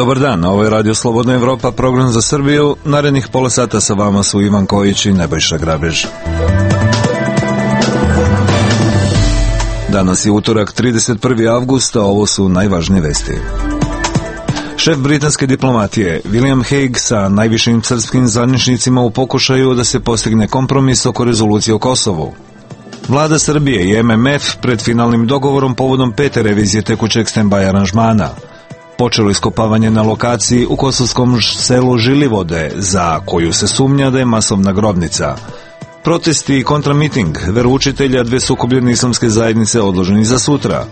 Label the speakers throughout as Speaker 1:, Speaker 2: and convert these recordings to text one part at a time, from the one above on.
Speaker 1: Dobar dan, ovo je Radio Slobodna Evropa, program za Srbiju. Narednih pola sata sa vama su Ivan Kojić i Nebojša Grabež. Danas je utorak, 31. avgust, a ovo su najvažnije vesti. Šef britanske diplomatije William Hague sa najvišim srpskim zvaničnicima u pokušaju da se postigne kompromis oko rezolucije o Kosovu. Vlada Srbije i MMF pred finalnim dogovorom povodom 5. revizije tekućeg stand-by aranžmana. Počelo iskopavanje na lokaciji u kosovskom selu Žilivode, za koju se sumnja da je masovna grobnica. Protesti i kontramiting veroučitelja dve sukobljene islamske zajednice odloženi za sutra.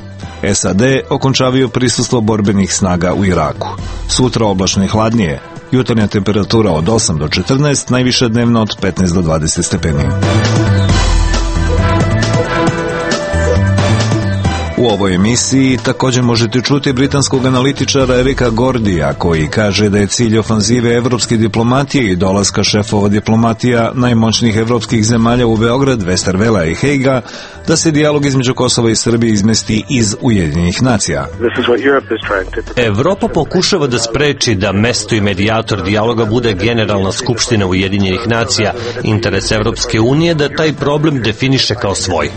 Speaker 1: SAD okončavaju prisustvo borbenih snaga u Iraku. Sutra oblačno i hladnije. Jutarnja temperatura od 8 do 14, najviša dnevna od 15 do 20 stepeni. U ovoj emisiji također možete čuti britanskog analitičara Erika Gordija, koji kaže da je cilj ofanzive evropske diplomatije i dolaska šefova diplomatija najmoćnijih evropskih zemalja u Beograd, Westervela i Hejga, da se dijalog između Kosova i Srbije izmesti iz Ujedinjenih nacija.
Speaker 2: Evropa pokušava da spreči da mesto i medijator dijaloga bude Generalna skupština Ujedinjenih nacija. Interes Evropske unije da taj problem definiše kao svoj.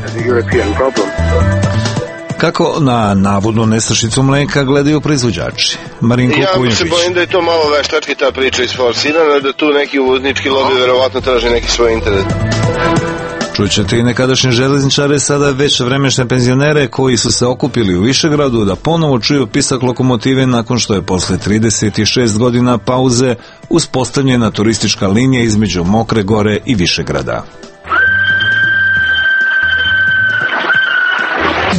Speaker 1: Kako na navodnu nestašicu mleka gledaju proizvođači? Marinko Kujundžić.
Speaker 3: Ja se bojim da je to malo veštački ta priča isforsirana, da tu neki uvoznički lobi verovatno traži neki svoj interes.
Speaker 1: Čućete i nekadašnje železničare, sada već vremešne penzionere koji su se okupili u Višegradu da ponovo čuju pisak lokomotive nakon što je posle 36 godina pauze uspostavljena turistička linija između Mokre Gore i Višegrada.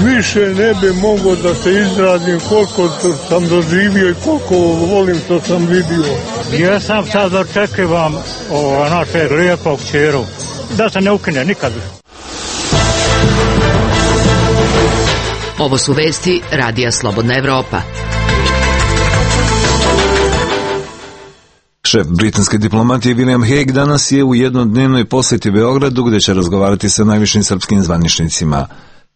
Speaker 4: Više ne bi mogao da se izrazim koliko sam doživio i koliko volim što sam vidio.
Speaker 5: Ja sam sad očekivam naše lijepog ćeru, da se ne ukine nikad.
Speaker 6: Ovo su vesti Radija Slobodna Evropa.
Speaker 1: Šef britanske diplomatije William Hague danas je u jednodnevnoj posjeti Beogradu, gde će razgovarati sa najvišim srpskim zvaničnicima.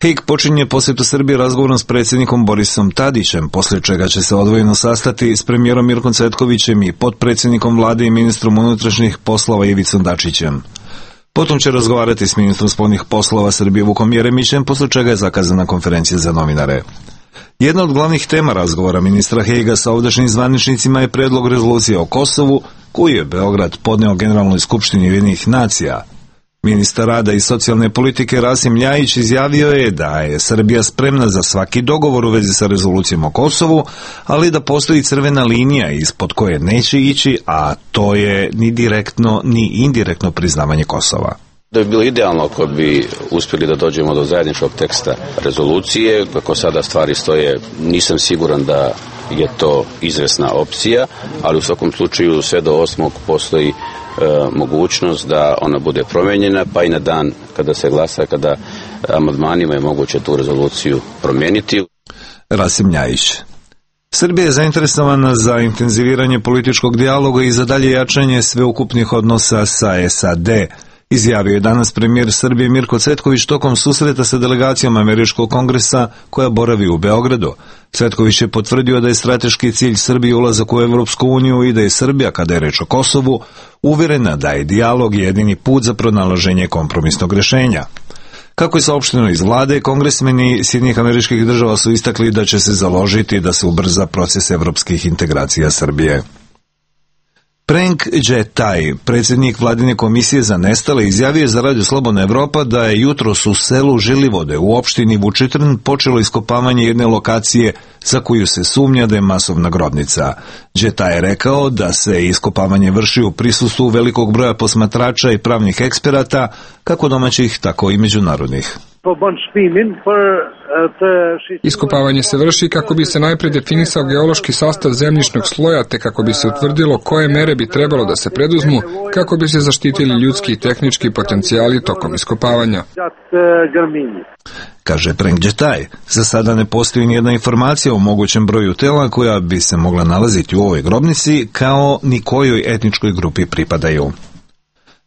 Speaker 1: Hague počinje posjetu Srbije razgovorom s predsjednikom Borisom Tadićem, poslije čega će se odvojeno sastati s premijerom Mirkom Cvetkovićem i potpredsjednikom vlade i ministrom unutrašnjih poslova Ivicom Dačićem. Potom će razgovarati s ministrom spoljnih poslova Srbije Vukom Jeremićem, poslije čega je zakazana konferencija za novinare. Jedna od glavnih tema razgovora ministra Hagea sa ovdašnjim zvaničnicima je predlog rezolucije o Kosovu, koju je Beograd podneo Generalnoj skupštini Ujedinjenih nacija. Ministar rada i socijalne politike Rasim Ljajić izjavio je da je Srbija spremna za svaki dogovor u vezi sa rezolucijom o Kosovu, ali da postoji crvena linija ispod koje neće ići, a to je ni direktno ni indirektno priznavanje Kosova.
Speaker 7: Da bi bilo idealno ako bi uspjeli da dođemo do zajedničkog teksta rezolucije. Kako sada stvari stoje, nisam siguran da je to izvesna opcija, ali u svakom slučaju sve do 8. postoji mogućnost da ona bude promijenjena, pa i na dan kada se glasa, kada amandmanima je moguće tu rezoluciju promijeniti.
Speaker 1: Rasim Ljajić. Srbija je zainteresovana za intenziviranje političkog dijaloga i za dalje jačanje sveukupnih odnosa sa SAD, izjavio je danas premijer Srbije Mirko Cvetković tokom susreta sa delegacijom Američkog kongresa koja boravi u Beogradu. Cvetković je potvrdio da je strateški cilj Srbije ulazak u Evropsku uniju i da je Srbija, kada je reč o Kosovu, uvjerena da je dijalog jedini put za pronalaženje kompromisnog rješenja. Kako je saopšteno iz vlade, kongresmeni Sjedinjenih Američkih Država su istakli da će se založiti da se ubrza proces evropskih integracija Srbije. Prenk Džetaj, predsjednik vladine komisije za nestale, izjavio za Radio Slobodna Evropa da je jutros u selu Žilivode u opštini Vučitrn počelo iskopavanje jedne lokacije za koju se sumnja da je masovna grobnica. Džetaj je rekao da se iskopavanje vrši u prisustvu velikog broja posmatrača i pravnih eksperata, kako domaćih, tako i međunarodnih.
Speaker 8: Iskopavanje se vrši kako bi se najprije definisao geološki sastav zemljišnog sloja, te kako bi se utvrdilo koje mere bi trebalo da se preduzmu kako bi se zaštitili ljudski i tehnički potencijali tokom iskopavanja.
Speaker 1: Kaže Prenk Džetaj, za sada ne postoji nijedna informacija o mogućem broju tela koja bi se mogla nalaziti u ovoj grobnici, kao ni kojoj etničkoj grupi pripadaju.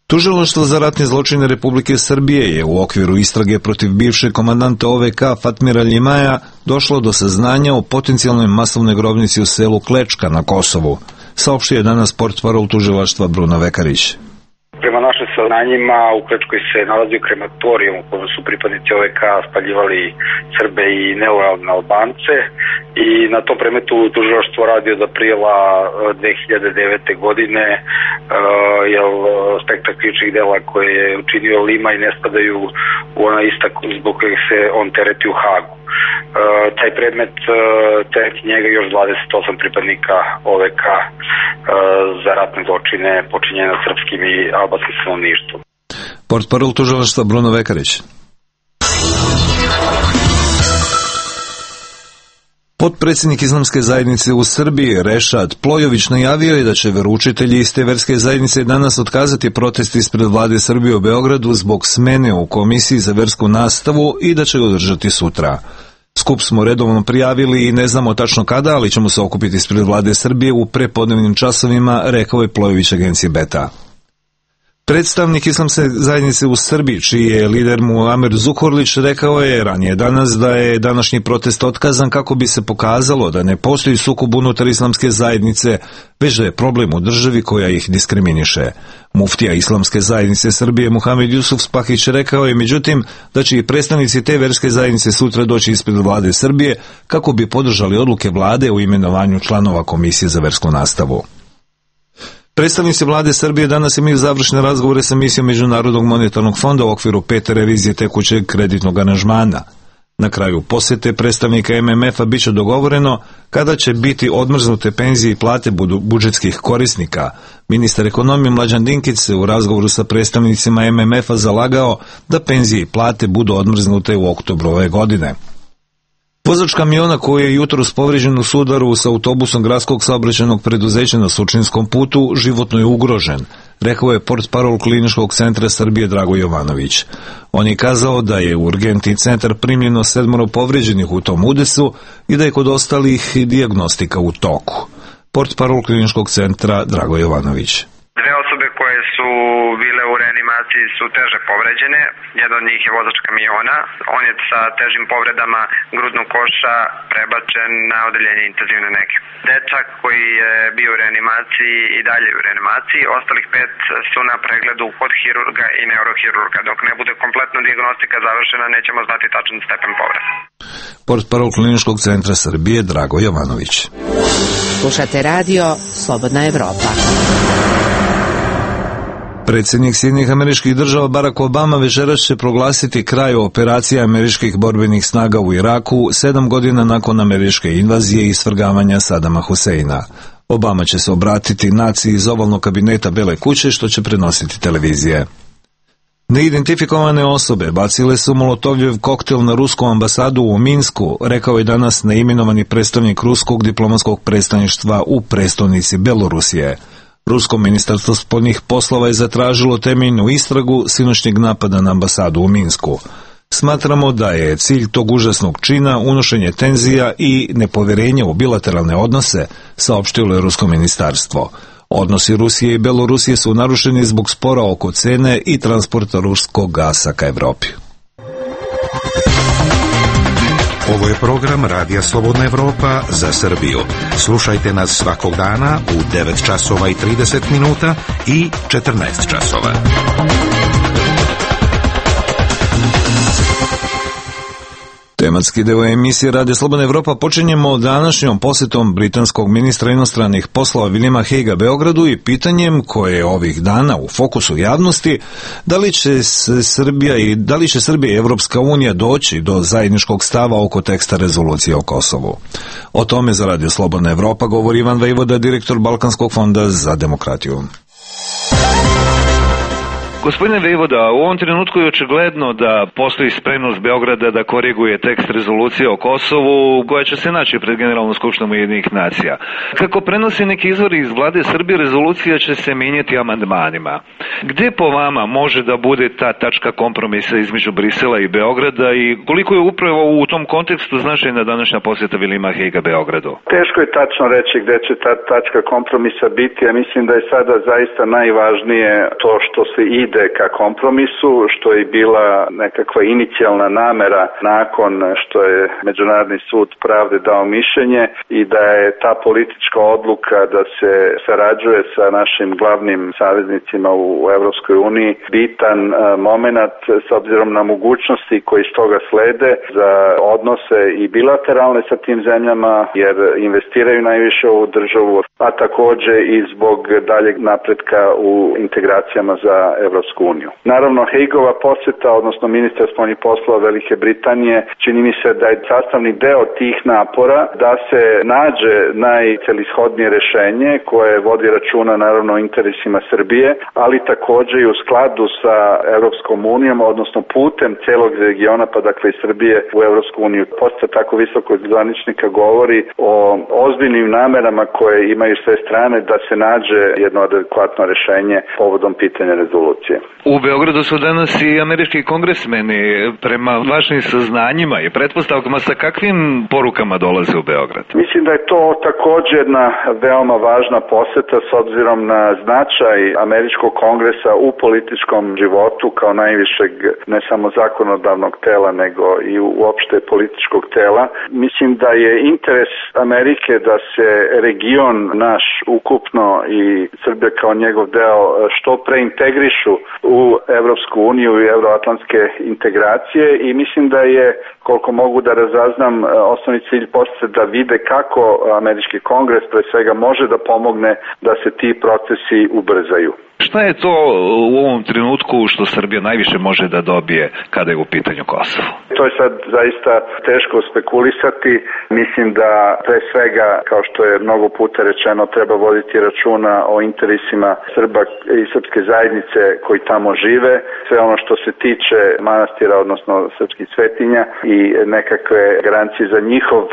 Speaker 1: Tužilaštvo za ratne zločine Republike Srbije je u okviru istrage protiv bivšeg komandanta OVK Fatmira Ljimaja došlo do saznanja o potencijalnoj masovnoj grobnici u selu Klečka na Kosovu, saopštio je danas portparol tužilaštva Bruno Vekarić.
Speaker 9: Prema našim saznanjima, u Klečkoj se nalazio krematorijum u kojem su pripadnici OVK spaljivali Srbe i nelojalne Albance i na tom predmetu tužilaštvo radi od aprila 2009. godine, jer spektar krivičnih dela koje je učinio Lima i ne spadaju u ona ista zbog kojeg se on tereti u Hagu. Taj predmet tereti njega još 28 pripadnika OVK za ratne zločine počinjene nad srpskim i albanskim stanovništvom.
Speaker 1: Portparol tužilaštva Bruno Vekarić. Potpredsjednik Islamske zajednice u Srbiji Rešad Plojović najavio je da će veroučitelji iz te verske zajednice danas otkazati protest ispred vlade Srbije u Beogradu zbog smene u Komisiji za versku nastavu i da će ga održati sutra. Skup smo redovno prijavili i ne znamo tačno kada, ali ćemo se okupiti ispred vlade Srbije u prepodnevnim časovima, rekao je Plojović agenciji Beta. Predstavnik Islamske zajednice u Srbiji, čiji je lider Muamer Zukorlić, rekao je ranije danas da je današnji protest otkazan kako bi se pokazalo da ne postoji sukob unutar Islamske zajednice, već da je problem u državi koja ih diskriminiše. Muftija Islamske zajednice Srbije Muhamed Jusuf Spahić rekao je međutim da će i predstavnici te verske zajednice sutra doći ispred vlade Srbije kako bi podržali odluke vlade o imenovanju članova Komisije za versku nastavu. Predstavnici vlade Srbije danas imaju završne razgovore sa misijom Međunarodnog monetarnog fonda u okviru 5. revizije tekućeg kreditnog aranžmana. Na kraju posete predstavnika MMF-a bit će dogovoreno kada će biti odmrznute penzije i plate budžetskih korisnika. Ministar ekonomije Mlađan Dinkić se u razgovoru sa predstavnicima MMF-a zalagao da penzije i plate budu odmrznute u oktobru ove godine. Vozač kamiona koji je jutros povređen u sudaru sa autobusom gradskog saobraćajnog preduzeća na Surčinskom putu životno je ugrožen, rekao je portparol Kliničkog centra Srbije Drago Jovanović. On je kazao da je u urgentni centar primljeno 7 povređenih u tom udesu i da je kod ostalih dijagnostika u toku. Portparol Kliničkog centra Drago Jovanović.
Speaker 10: Dve osobe koje su bile u reanimaciji su teže povređene. Jedan od njih je vozač kamiona. On je sa težim povredama grudnog koša prebačen na odeljenje intenzivne nege. Dečak koji je bio u reanimaciji i dalje u reanimaciji. Ostalih 5 su na pregledu kod hirurga i neurohirurga. Dok ne bude kompletna dijagnostika završena, nećemo znati tačan stepen povreda.
Speaker 1: Portparol Kliničkog centra Srbije Drago Jovanović.
Speaker 6: Slušate radio Slobodna Evropa.
Speaker 1: Predsjednik Sjedinjenih Američkih Država Barack Obama večeras će proglasiti kraj operacije američkih borbenih snaga u Iraku 7 godina nakon američke invazije i svrgavanja Sadama Huseina. Obama će se obratiti naciji iz ovalnog kabineta Bele kuće, što će prenositi televizije. Neidentifikovane osobe bacile su molotovljev koktel na rusku ambasadu u Minsku, rekao je danas neimenovani predstavnik ruskog diplomatskog predstavništva u prestonici Belorusije. Rusko ministarstvo spoljnih poslova je zatražilo temeljnu istragu sinoćnjeg napada na ambasadu u Minsku. Smatramo da je cilj tog užasnog čina unošenje tenzija i nepovjerenja u bilateralne odnose, saopštilo je rusko ministarstvo. Odnosi Rusije i Belorusije su narušeni zbog spora oko cene i transporta ruskog gasa ka Evropi.
Speaker 11: Ovo je program Radija Slobodna Evropa za Srbiju. Slušajte nas svakog dana u 9 časova i 30 minuta i 14 časova.
Speaker 1: Tematski deo emisije Radija Slobodna Evropa počinjemo današnjom posjetom britanskog ministra inostranih poslova Williama Hagea Beogradu i pitanjem koje je ovih dana u fokusu javnosti, da li će Srbija i Evropska unija doći do zajedničkog stava oko teksta rezolucije o Kosovu. O tome za Radio Slobodna Evropa govori Ivan Vejvoda, direktor Balkanskog fonda za demokratiju. Gospodine Vejvoda, u ovom trenutku je očigledno da postoji spremnost Beograda da koriguje tekst rezolucije o Kosovu koja će se naći pred Generalnom skupštinom Ujedinjenih nacija. Kako prenosi neki izvori iz vlade Srbije, rezolucija će se mijenjati amandmanima. Gde po vama može da bude ta tačka kompromisa između Brisela i Beograda i koliko je upravo u tom kontekstu značajna današnja posjeta Williama Haguea Beogradu?
Speaker 12: Teško je tačno reći gde će ta tačka kompromisa biti. Ja mislim da je sada zaista najvažnije to što se ide ka kompromisu, što je bila nekakva inicijalna namera nakon što je Međunarodni sud pravde dao mišljenje i da je ta politička odluka da se sarađuje sa našim glavnim saveznicima u Evropskoj uniji bitan moment s obzirom na mogućnosti koji iz toga slede za odnose i bilateralne sa tim zemljama jer investiraju najviše u državu, a takođe i zbog daljeg napretka u integracijama za Evropsku uniju. Naravno, Hagueova posjeta, odnosno ministar spoljnih poslova Velike Britanije, čini mi se da je sastavni deo tih napora da se nađe najcelishodnije rešenje koje vodi računa naravno o interesima Srbije, ali takođe i u skladu sa Evropskom unijom, odnosno putem celog regiona, pa dakle i Srbije u Evropsku uniju. Posjeta tako visokog zvaničnika govori o ozbiljnim namerama koje imaju sve strane da se nađe jedno adekvatno rešenje povodom pitanja rezolucije.
Speaker 1: U Beogradu su danas i američki kongresmeni. Prema vašim saznanjima i pretpostavkama, sa kakvim porukama dolaze u Beograd?
Speaker 12: Mislim da je to takođe jedna veoma važna poseta s obzirom na značaj američkog kongresa u političkom životu kao najvišeg ne samo zakonodavnog tela nego i uopšte političkog tela. Mislim da je interes Amerike da se region naš ukupno i Srbija kao njegov deo što pre integrišu u Evropsku uniju i euroatlantske integracije i mislim da je, koliko mogu da razaznam, osnovni cilj posle da vide kako američki kongres pre svega može da pomogne da se ti procesi ubrzaju.
Speaker 1: Šta je to u ovom trenutku što Srbija najviše može da dobije kada je u pitanju Kosovo?
Speaker 12: To je sad zaista teško spekulisati. Mislim da pre svega, kao što je mnogo puta rečeno, treba voditi računa o interesima Srba i srpske zajednice koji tamo žive. Sve ono što se tiče manastira, odnosno srpskih svetinja i nekakve garancije za njihov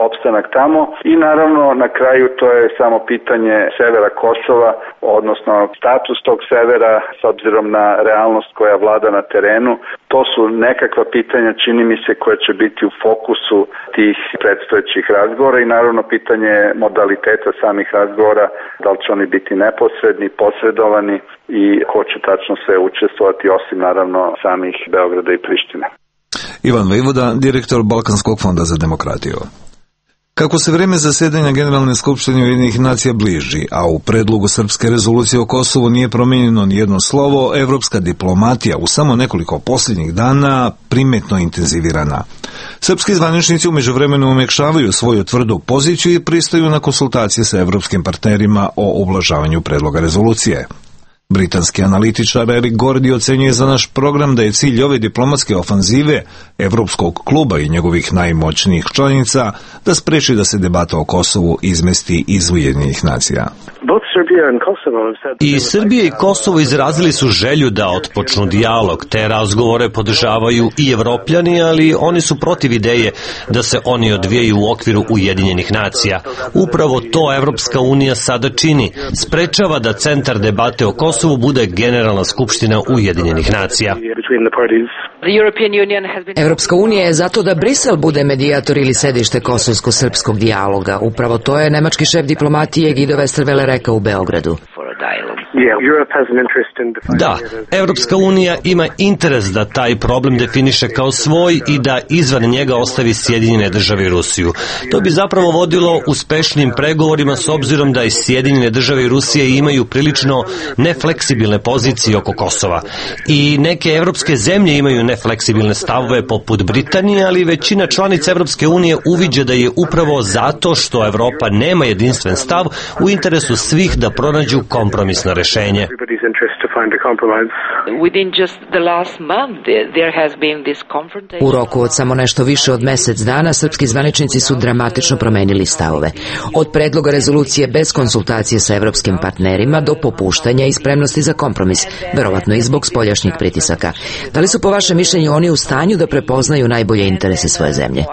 Speaker 12: opstanak tamo. I naravno na kraju to je samo pitanje severa Kosova, odnosno status tog severa s obzirom na realnost koja vlada na terenu. To su nekakva pitanja, čini mi se, koja će biti u fokusu tih predstojećih razgovora i naravno pitanje modaliteta samih razgovora, da li će oni biti neposredni, posredovani i ko će tačno sve učestvovati osim naravno samih Beograda i Prištine.
Speaker 1: Ivan Vejvoda, direktor Balkanskog fonda za demokratiju. Kako se vreme zasedanja Generalne skupštine Ujedinjenih nacija bliži, a u predlogu srpske rezolucije o Kosovu nije promenjeno ni jedno slovo, evropska diplomatija u samo nekoliko posljednjih dana primetno intenzivirana. Srpski zvaničnici u međuvremenu umekšavaju svoju tvrdu poziciju i pristaju na konsultacije sa evropskim partnerima o ublažavanju predloga rezolucije. Britanski analitičar Eric Gordy ocenjuje za naš program da je cilj ove diplomatske ofanzive Evropskog kluba i njegovih najmoćnijih članica da spreči da se debata o Kosovu izmesti iz Ujedinjenih nacija.
Speaker 2: I Srbija i Kosovo izrazili su želju da otpočnu dijalog. Te razgovore podržavaju i Evropljani, ali oni su protiv ideje da se oni odvijaju u okviru Ujedinjenih nacija. Upravo to Evropska unija sada čini. Sprečava da centar debate o Kosovu bude Generalna skupština Ujedinjenih nacija.
Speaker 6: Evropska unija je zato da Brisel bude medijator ili sedište kosovsko-srpskog dijaloga. Upravo to je nemački šef diplomatije Guido Westerwelle rekao u Beogradu.
Speaker 2: Da, Evropska unija ima interes da taj problem definiše kao svoj i da izvan njega ostavi Sjedinjene države i Rusiju. To bi zapravo vodilo uspešnim pregovorima s obzirom da i Sjedinjene države i Rusije imaju prilično nefleksibilne pozicije oko Kosova. I neke evropske zemlje imaju nefleksibilne stavove poput Britanije, ali većina članica Evropske unije uviđa da je upravo zato što Evropa nema jedinstven stav u interesu svih da pronađu kompromisno rešenje. rešenje.
Speaker 6: U roku od samo nešto više od mesec dana srpski zvaničnici su dramatično promenili stavove. Od predloga rezolucije bez konsultacije sa evropskim partnerima do popuštanja i spremnosti za kompromis, verovatno i zbog spoljašnjih pritisaka. Da li su po vašem mišljenju oni u stanju da prepoznaju najbolje interese svoje zemlje?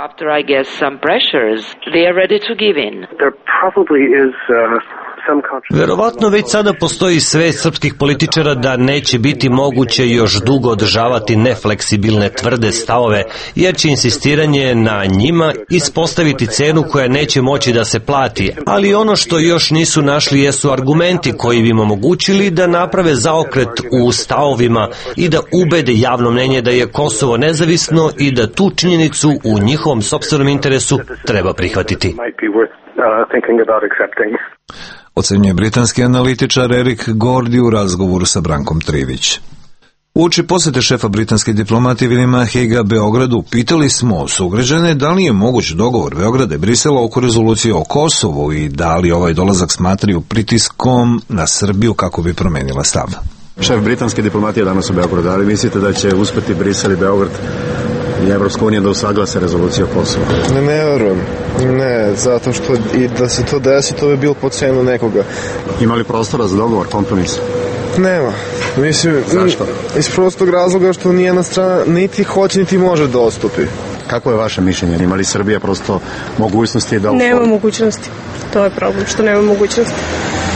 Speaker 2: Verovatno već sada postoji svest srpskih političara da neće biti moguće još dugo održavati nefleksibilne tvrde stavove, jer će insistiranje na njima ispostaviti cenu koja neće moći da se plati, ali ono što još nisu našli jesu argumenti koji bi im omogućili da naprave zaokret u stavovima i da ubede javno mnenje da je Kosovo nezavisno i da tu činjenicu u njihovom sopstvenom interesu treba prihvatiti.
Speaker 1: Ocenjuje britanski analitičar Erik Gordy u razgovoru sa Brankom Trivić. Uoči posete šefa britanske diplomatije Williama Haguea Beogradu, pitali smo sugrađane da li je moguć dogovor Beograda i Brisela oko rezolucije o Kosovu i da li ovaj dolazak smatraju pritiskom na Srbiju kako bi promenila stav.
Speaker 13: Šef britanske diplomatije danas u Beogradu, da li mislite da će uspeti Brisel i Beograd i Evropska unija da usaglase rezoluciju o Kosovu?
Speaker 14: Ne verujem. Ne, zato što i da se to desi, to bi bilo po cenu nekoga.
Speaker 13: Ima li prostora za dogovor, kompromis?
Speaker 14: Nema. Mislim, zašto? Iz prostog razloga što nijedna strana niti hoće, niti može da odstupi.
Speaker 13: Kako je vaše mišljenje? Ima li Srbija prosto mogućnosti da...
Speaker 15: Nema mogućnosti. To je problem, što nema mogućnosti.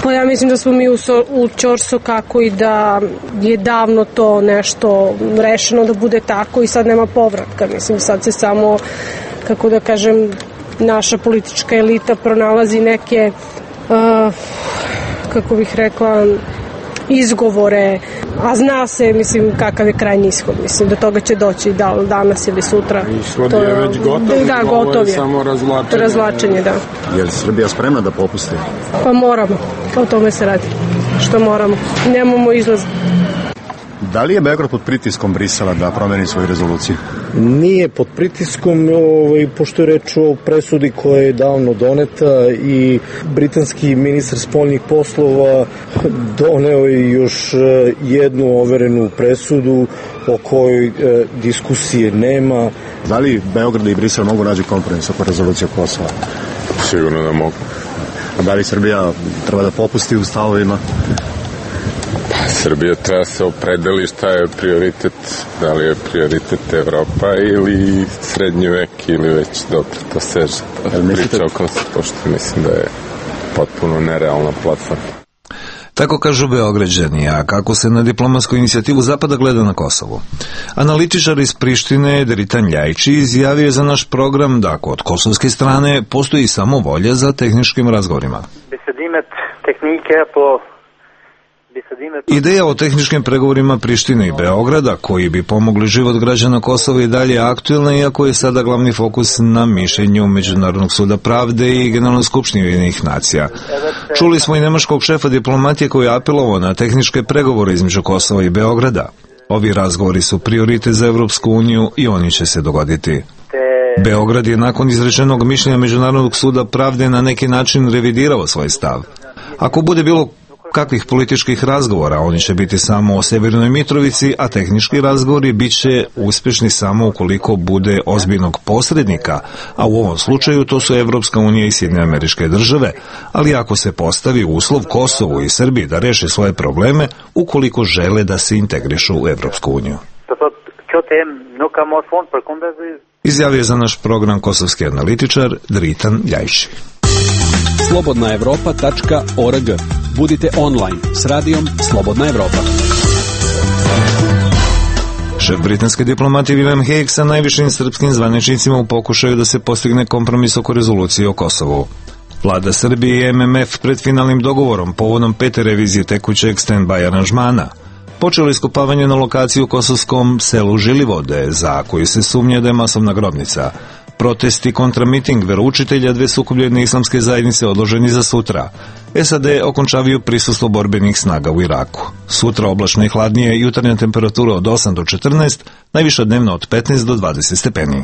Speaker 15: Pa ja mislim da smo mi u ćorso kako i da je davno to nešto rešeno da bude tako i sad nema povratka. Mislim, sad se samo, kako da kažem, naša politička elita pronalazi neke, kako bih rekla, izgovore, a zna se, mislim, kakav je krajnji ishod. Mislim, do toga će doći danas ili sutra.
Speaker 14: Ishod je već gotov,
Speaker 15: da, gotov je.
Speaker 14: Samo
Speaker 15: razvlačenje, da.
Speaker 13: Je li Srbija spremna da popusti?
Speaker 15: Pa moramo, o tome se radi. Što moramo. Nemamo izlaz.
Speaker 13: Da li je Beograd pod pritiskom Brisela da promeni svoju rezoluciju?
Speaker 16: Nije pod pritiskom, pošto je reč o presudi koja je davno doneta i britanski ministar spoljnih poslova doneo je još jednu overenu presudu o kojoj diskusije nema.
Speaker 13: Da li Beograd i Brisel mogu naći kompromis oko rezolucije Kosova?
Speaker 14: Sigurno da mogu.
Speaker 13: A da li Srbija treba da popusti u stavovima?
Speaker 14: Srbija treba se opredeli šta je prioritet, da li je prioritet Evropa ili srednji vek ili već dobro to seže. Priča o Kosovu, pošto mislim da je potpuno nerealna platforma.
Speaker 1: Tako kažu Beograđani, a kako se na diplomatsku inicijativu Zapada gleda na Kosovu. Analitičar iz Prištine Dritan Ljajić izjavio je za naš program da kod kosovske strane postoji samo volja za tehničkim razgovorima. Ideja o tehničkim pregovorima Prištine i Beograda, koji bi pomogli život građana Kosova i dalje aktuelna, iako je sada glavni fokus na mišljenju Međunarodnog suda pravde i Generalne skupštine Ujedinjenih nacija. Čuli smo i nemačkog šefa diplomatije koji je apelovao na tehničke pregovore između Kosova i Beograda. Ovi razgovori su prioritet za Evropsku uniju i oni će se dogoditi. Beograd je nakon izrečenog mišljenja Međunarodnog suda pravde na neki način revidirao svoj stav. Ako bude bilo kakvih političkih razgovora, oni će biti samo o Severnoj Mitrovici, a tehnički razgovori bit će uspješni samo ukoliko bude ozbiljnog posrednika, a u ovom slučaju to su Evropska unija i Sjedinjene Američke Države, ali ako se postavi uslov Kosovu i Srbiji da reše svoje probleme, ukoliko žele da se integrišu u Evropsku uniju. Izjavio je za naš program kosovski analitičar Dritan Ljajić.
Speaker 17: slobodnaevropa.org. Budite online s radijom Slobodna Evropa.
Speaker 1: Šef britanske diplomatije William Hague sa najvišim srpskim zvaničnicima u pokušaju da se postigne kompromis oko rezolucije o Kosovu. Vlada Srbije i MMF pred finalnim dogovorom povodom 5. revizije tekućeg stand-by aranžmana počelo iskopavanje na lokaciji u kosovskom selu Žilivode, za koju se sumnja da je masovna grobnica. Protesti kontra miting veroučitelja dve sukobljene islamske zajednice odloženi za sutra. SAD okončavaju prisustvo borbenih snaga u Iraku. Sutra oblačno i hladnije, jutarnja temperatura od 8 do 14, najviša dnevno od 15 do 20 stepeni.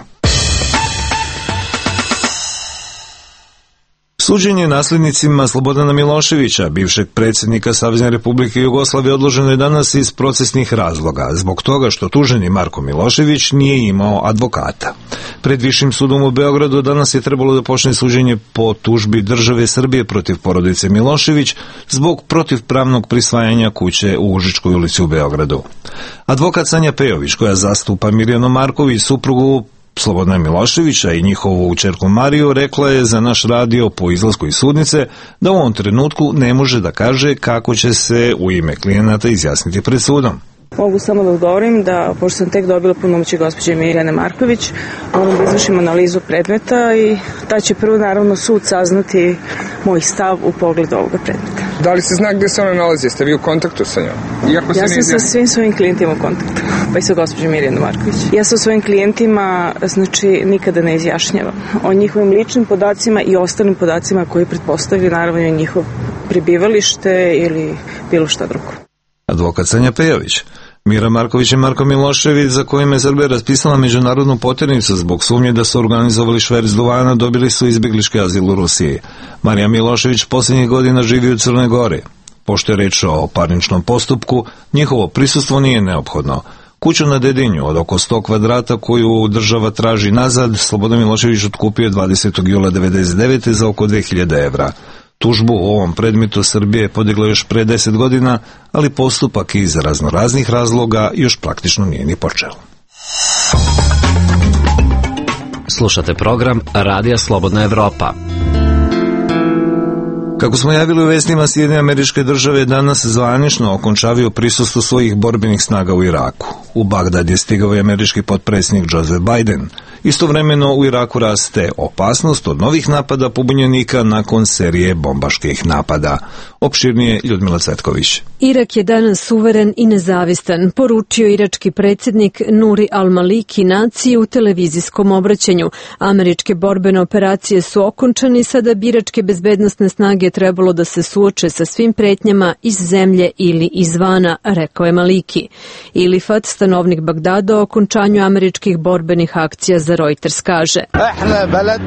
Speaker 1: Suđenje nasljednicima Slobodana Miloševića, bivšeg predsjednika Savezne Republike Jugoslavije, odloženo je danas iz procesnih razloga, zbog toga što tuženi Marko Milošević nije imao advokata. Pred Višim sudom u Beogradu danas je trebalo da počne suđenje po tužbi države Srbije protiv porodice Milošević zbog protivpravnog prisvajanja kuće u Užičkoj ulici u Beogradu. Advokat Sanja Pejović, koja zastupa Mirjanu Marković, suprugu Slobodana Miloševića i njihovu ćerku Mariju, rekla je za naš radio po izlasku iz sudnice da u ovom trenutku ne može da kaže kako će se u ime klijenata izjasniti pred sudom.
Speaker 18: Mogu samo da odgovorim da, pošto sam tek dobila punomoćje gospođe Mirjane Marković, moram da izvršim analizu predmeta i da će prvo naravno sud saznati moj stav u pogledu ovoga predmeta.
Speaker 8: Da li se zna gde se ona nalazi? Jeste vi u kontaktu sa njom?
Speaker 18: Ja sam sa svim svojim klijentima u kontaktu, pa i sa gospođom Mirjana Marković. Ja sa svojim klijentima, nikada ne izjašnjavam o njihovim ličnim podacima i ostalim podacima koji pretpostavljaju naravno i njihov prebivalište ili bilo šta drugo.
Speaker 1: Advokat Sanja Pejović. Mira Marković i Marko Milošević, za kojima je Srbija raspisala međunarodnu poternicu zbog sumnje da su organizovali šverc duvana, dobili su izbjeglički azil u Rusiji. Marija Milošević posljednjih godina živi u Crnoj Gori. Pošto je reč o parničnom postupku, njihovo prisustvo nije neophodno. Kuću na Dedinju od oko 100 kvadrata koju država traži nazad, Slobodan Milošević otkupio 20. jula 1999. za oko 2000 evra. Tužbu u ovom predmetu Srbije podigla još pre 10 godina, ali postupak iz raznoraznih razloga još praktično nije ni počeo.
Speaker 17: Slušate program Radija Slobodna Evropa.
Speaker 1: Kako smo javili u vestima, Sjedinjene Američke Države danas zvanično okončavaju prisustvo svojih borbenih snaga u Iraku. U Bagdad je stigao i američki potpredsjednik Joseph Biden. Istovremeno u Iraku raste opasnost od novih napada pobunjenika nakon serije bombaških napada. Opširnije Ljudmila Cvetković.
Speaker 19: Irak je danas suveren i nezavistan, poručio irački predsjednik Nuri al-Maliki naciji u televizijskom obraćanju. Američke borbene operacije su okončane i sada bi iračke bezbednosne snage trebalo da se suoče sa svim pretnjama iz zemlje ili izvana, rekao je Maliki. Ilifat, stanovnik Bagdada, o okončanju američkih borbenih akcija za Reuters kaže: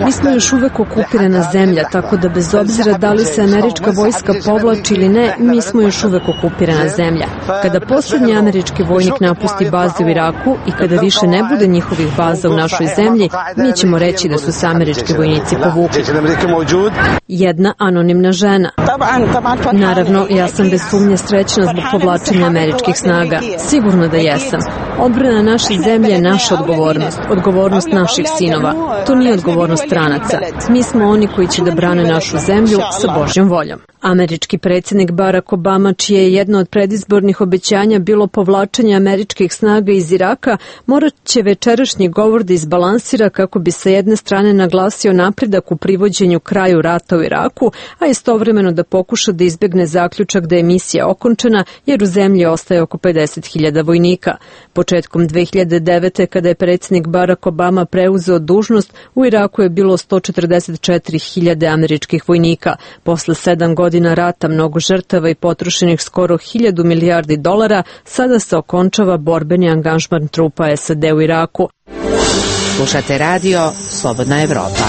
Speaker 19: Mi smo još uvek okupirana zemlja, tako da bez obzira da li se američka vojska povlači ili ne, mi smo još uvek okupirana zemlja. Kada posljednji američki vojnik napusti bazu u Iraku i kada više ne bude njihovih baza u našoj zemlji, mi ćemo reći da su se američki vojnici povukli. Jedna anonimna žena. Naravno, ja sam bez sumnje srećna zbog povlačenja američkih snaga. Sigurno da jesam. Odbrana naše zemlje je naša odgovornost, odgovornost naših sinova. To nije odgovornost stranaca. Mi smo oni koji će da brane našu zemlju sa Božjom voljom. Američki predsjednik Barack Obama, čije je jedno od predizbornih obećanja bilo povlačenje američkih snaga iz Iraka, morat će večerašnji govor da izbalansira kako bi sa jedne strane naglasio napredak u privođenju kraju rata u Iraku, a istovremeno da pokuša da izbjegne zaključak da je misija okončena jer u zemlji ostaje oko 50.000 vojnika. Početkom 2009. kada je predsjednik Barack Obama preuzeo dužnost, u Iraku je bilo 144.000 američkih vojnika. Posle 7 godina rata, mnogo žrtava i potrošenih skoro 1.000 milijardi dolara, sada se okončava borbeni angažman trupa SAD u Iraku.
Speaker 6: Slušate radio Slobodna Evropa.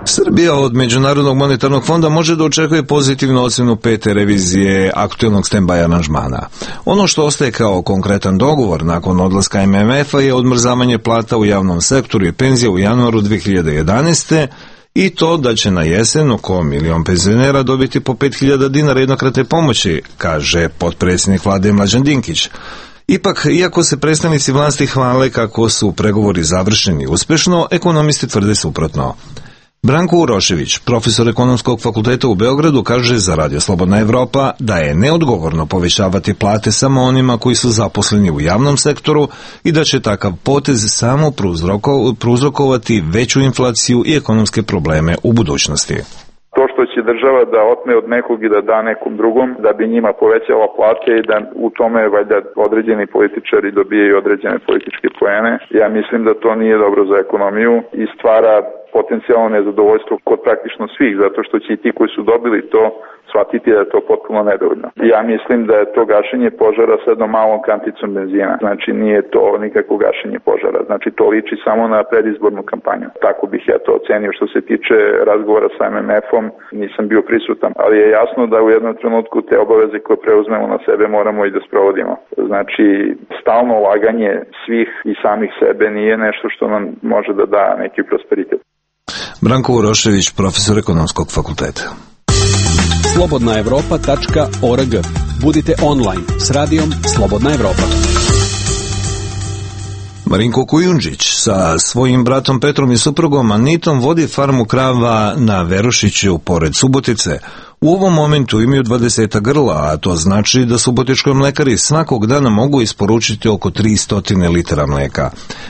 Speaker 1: Srbija od Međunarodnog monetarnog fonda može da očekuje pozitivnu ocjenu 5. revizije aktuelnog stand-by aranžmana. Ono što ostaje kao konkretan dogovor nakon odlaska MMF-a je odmrzavanje plata u javnom sektoru i penzija u januaru 2011. i to da će na jesen oko 1 milion penzionera dobiti po 5.000 dinara jednokratne pomoći, kaže potpredsjednik vlade Mlađan Dinkić. Ipak, iako se predstavnici vlasti hvale kako su pregovori završeni uspešno, ekonomisti tvrde suprotno. Branko Urošević, profesor ekonomskog fakulteta u Beogradu, kaže za Radio Slobodna Evropa da je neodgovorno povećavati plate samo onima koji su zaposleni u javnom sektoru i da će takav potez samo prouzrokovati veću inflaciju i ekonomske probleme u budućnosti.
Speaker 12: To što će država da otme od nekog i da da nekom drugom, da bi njima povećala plate i da u tome valjda određeni političari dobijaju određene političke poene, ja mislim da to nije dobro za ekonomiju i stvara potencijalno nezadovoljstvo kod praktično svih, zato što će i ti koji su dobili to shvatiti da je to potpuno nedovoljno. Ja mislim da je to gašenje požara sa jednom malom kanticom benzina. Znači nije to nikako gašenje požara. Znači to liči samo na predizbornu kampanju. Tako bih ja to ocenio. Što se tiče razgovora sa MMF-om, nisam bio prisutan, ali je jasno da u jednom trenutku te obaveze koje preuzmemo na sebe moramo i da sprovodimo. Znači stalno ulaganje svih i samih sebe nije nešto što nam može da da neki prosperitet.
Speaker 1: Branko Urošević, profesor Ekonomskog fakulteta.
Speaker 17: slobodnaevropa.org. Budite online s radijom Slobodna Evropa.
Speaker 1: Marinko Kujundžić sa svojim bratom Petrom i suprugom Anitom vodi farmu krava na Verušiću pored Subotice. U ovom momentu imaju 20 grla, a to znači da subotičkoj mlekari svakog dana mogu isporučiti oko 300 litara mleka.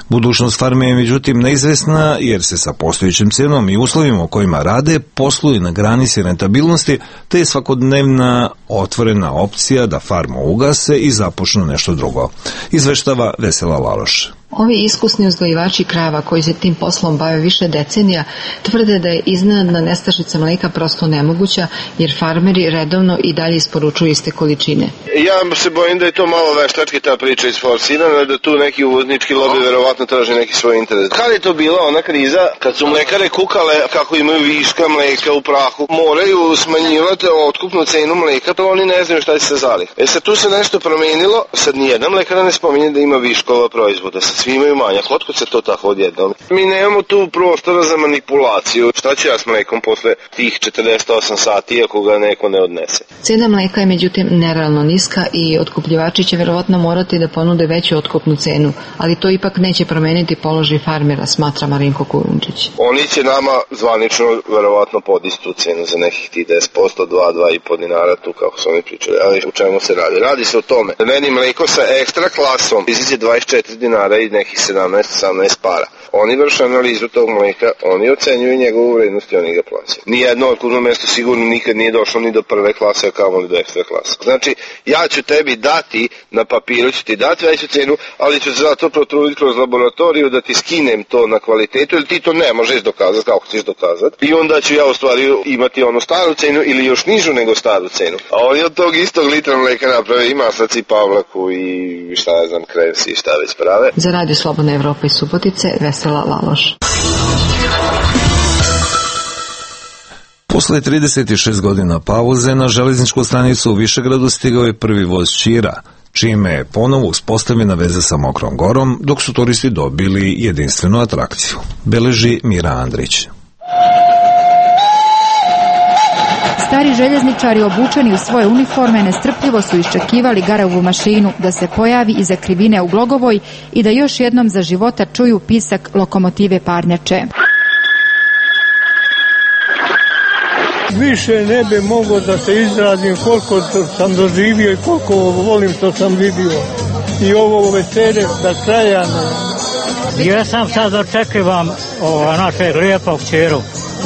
Speaker 1: Budućnost farme je međutim neizvesna jer se sa postojećim cenom i uslovima u kojima rade posluju na granici rentabilnosti, te je svakodnevna otvorena opcija da farmu ugase i započnu nešto drugo. Izveštava Vesela Laloš.
Speaker 20: Ovi iskusni uzgojivači krava koji se tim poslom bave više decenija tvrde da je iznenadna nestašica mleka prosto nemoguća jer farmeri redovno i dalje isporučuju iste količine.
Speaker 3: Ja se bojim da je to malo veštački ta priča isforsirana, da tu neki uvoznički lobi verovatno traži neki svoj interes. Kad je to bila ona kriza, kad su mlekare kukale kako imaju viška mleka u prahu, moraju smanjivati otkupnu cenu mleka, to oni ne znaju šta će se zalih. Sad tu se nešto promenilo, sad nijedan mlekara ne spominje da ima viškova proizvoda, sad svi imaju manjak, otkud se to tako odjednom? Mi nemamo tu prostora za manipulaciju, šta ću ja s mlekom posle tih 48 sati ako ga neko ne odnese?
Speaker 20: Cena mleka je međutim nerealno niska i otkupljivači će verovatno morati da ponude veću otkupnu cenu, ali to ipak neće promeniti položaj farmera, smatra Marinko Kujundžić.
Speaker 3: Oni će nama zvanično verovatno podići tu cenu za nekih 10%, 2,5 dinara tu kako su oni pričali, ali u čemu se radi? Radi se o tome da meni mleko sa ekstra klasom iziđe 24 dinara i nekih 17-18 para. Oni vrše analizu tog mleka, oni ocenjuju njegovu vrednost i oni ga plaćaju. Nijedno otkupno mesto sigurno nikad nije došlo ni do prve klase, a kamoli do ekstra klase. Znači, ja ću tebi dati, na papiru ću ti dati veću cenu, ali ću zato protruditi kroz laboratoriju da ti skinem to na kvalitetu, ili ti to ne možeš dokazati, kako ćeš dokazati. I onda ću ja u stvari imati onu staru cenu ili još nižu nego staru cenu. A oni od tog istog litra mleka naprave i maslaci, pavlaku i šta ja znam, krevsi i šta već prave.
Speaker 20: Za Radio Slobodna Evropa iz Subotice, Vesela Laloš.
Speaker 1: Posle 36 godina pauze na železničku stanicu u Višegradu stigao je prvi voz Ćira, čime je ponovo uspostavljena veza sa Mokrom Gorom, dok su turisti dobili jedinstvenu atrakciju. Beleži Mira Andrić.
Speaker 21: Stari željezničari obučeni u svoje uniforme nestrpljivo su iščekivali Garovu mašinu da se pojavi iza krivine u Glogovoj i da još jednom za života čuju pisak lokomotive parnjače.
Speaker 4: Više ne bi mogao da se izrazim koliko sam doživio i koliko volim što sam vidio. I ovo veselje da kraja ne.
Speaker 5: Ja sam sad očekivam našeg lijepog Ćiru.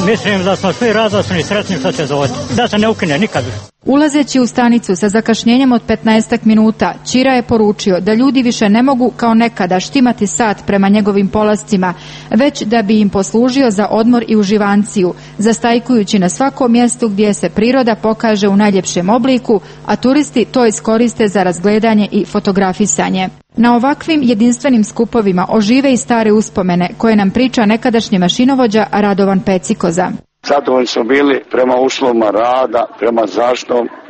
Speaker 5: Mislim da smo svi radosni i sretni što će doći. Da se ne ukine nikad.
Speaker 21: Ulazeći u stanicu sa zakašnjenjem od 15 minuta, Ćira je poručio da ljudi više ne mogu kao nekada štimati sat prema njegovim polascima, već da bi im poslužio za odmor i uživanciju, zastajkujući na svakom mjestu gdje se priroda pokaže u najljepšem obliku, a turisti to iskoriste za razgledanje i fotografisanje. Na ovakvim jedinstvenim skupovima ožive i stare uspomene koje nam priča nekadašnji mašinovođa Radovan Pecikoza.
Speaker 22: Zadovoljni smo bili prema uslovima rada, prema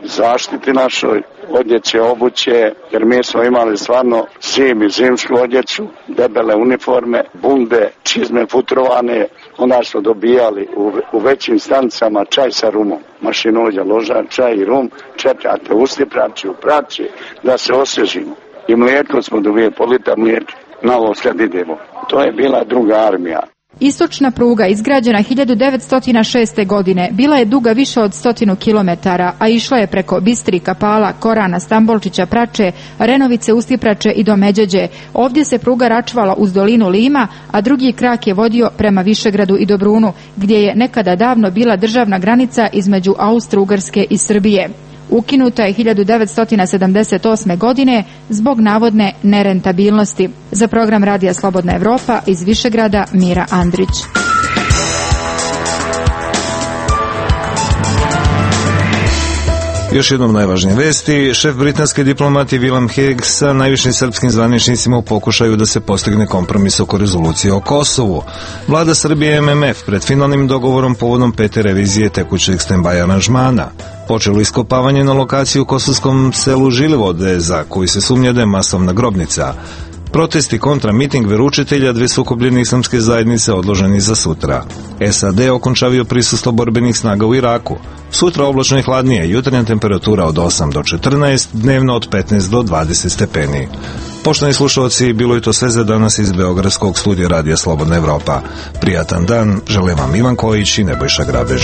Speaker 22: zaštiti našoj odjeće, obuće, jer mi smo imali stvarno zim i zimsku odjeću, debele uniforme, bunde, čizme futrovane, onda smo dobijali u većim stanicama čaj sa rumom. Mašinovođa loža, čaj i rum, čepljate usti praći u praći da se osvježimo. I mlijeko smo dobijali, po litar mlijeka, na ovo kad idemo. To je bila druga armija.
Speaker 21: Istočna pruga, izgrađena 1906. godine, bila je duga više od 100 km, a išla je preko Bistri, Kapala, Korana, Stambolčića, Prače, Renovice, Ustiprače i do Međeđe. Ovdje se pruga račvala uz dolinu Lima, a drugi krak je vodio prema Višegradu i Dobrunu, gdje je nekada davno bila državna granica između Austro-Ugarske i Srbije. Ukinuta je 1978. godine zbog navodne nerentabilnosti. Za program Radija Slobodna Evropa iz Višegrada, Mira Andrić.
Speaker 1: Još jednom najvažnije vesti, šef britanske diplomatije William Hague sa najvišim srpskim zvaničnicima u pokušaju da se postigne kompromis oko rezolucije o Kosovu. Vlada Srbije i MMF pred finalnim dogovorom povodom 5. revizije tekućeg stand-by aranžmana. Počelo iskopavanje na lokaciji u kosovskom selu Žilivode, za koju se sumnja da je masovna grobnica. Protesti kontra miting veroučitelja dve sukobljene islamske zajednice odloženi za sutra. SAD okončavio prisustvo borbenih snaga u Iraku. Sutra oblačno i hladnije, jutarnja temperatura od 8 do 14, dnevno od 15 do 20 stepeni. Poštovani slušalci, bilo je to sve za danas iz Beogradskog studija Radija Slobodna Evropa. Prijatan dan, želim vam Ivan Kojić i Nebojša Grabež.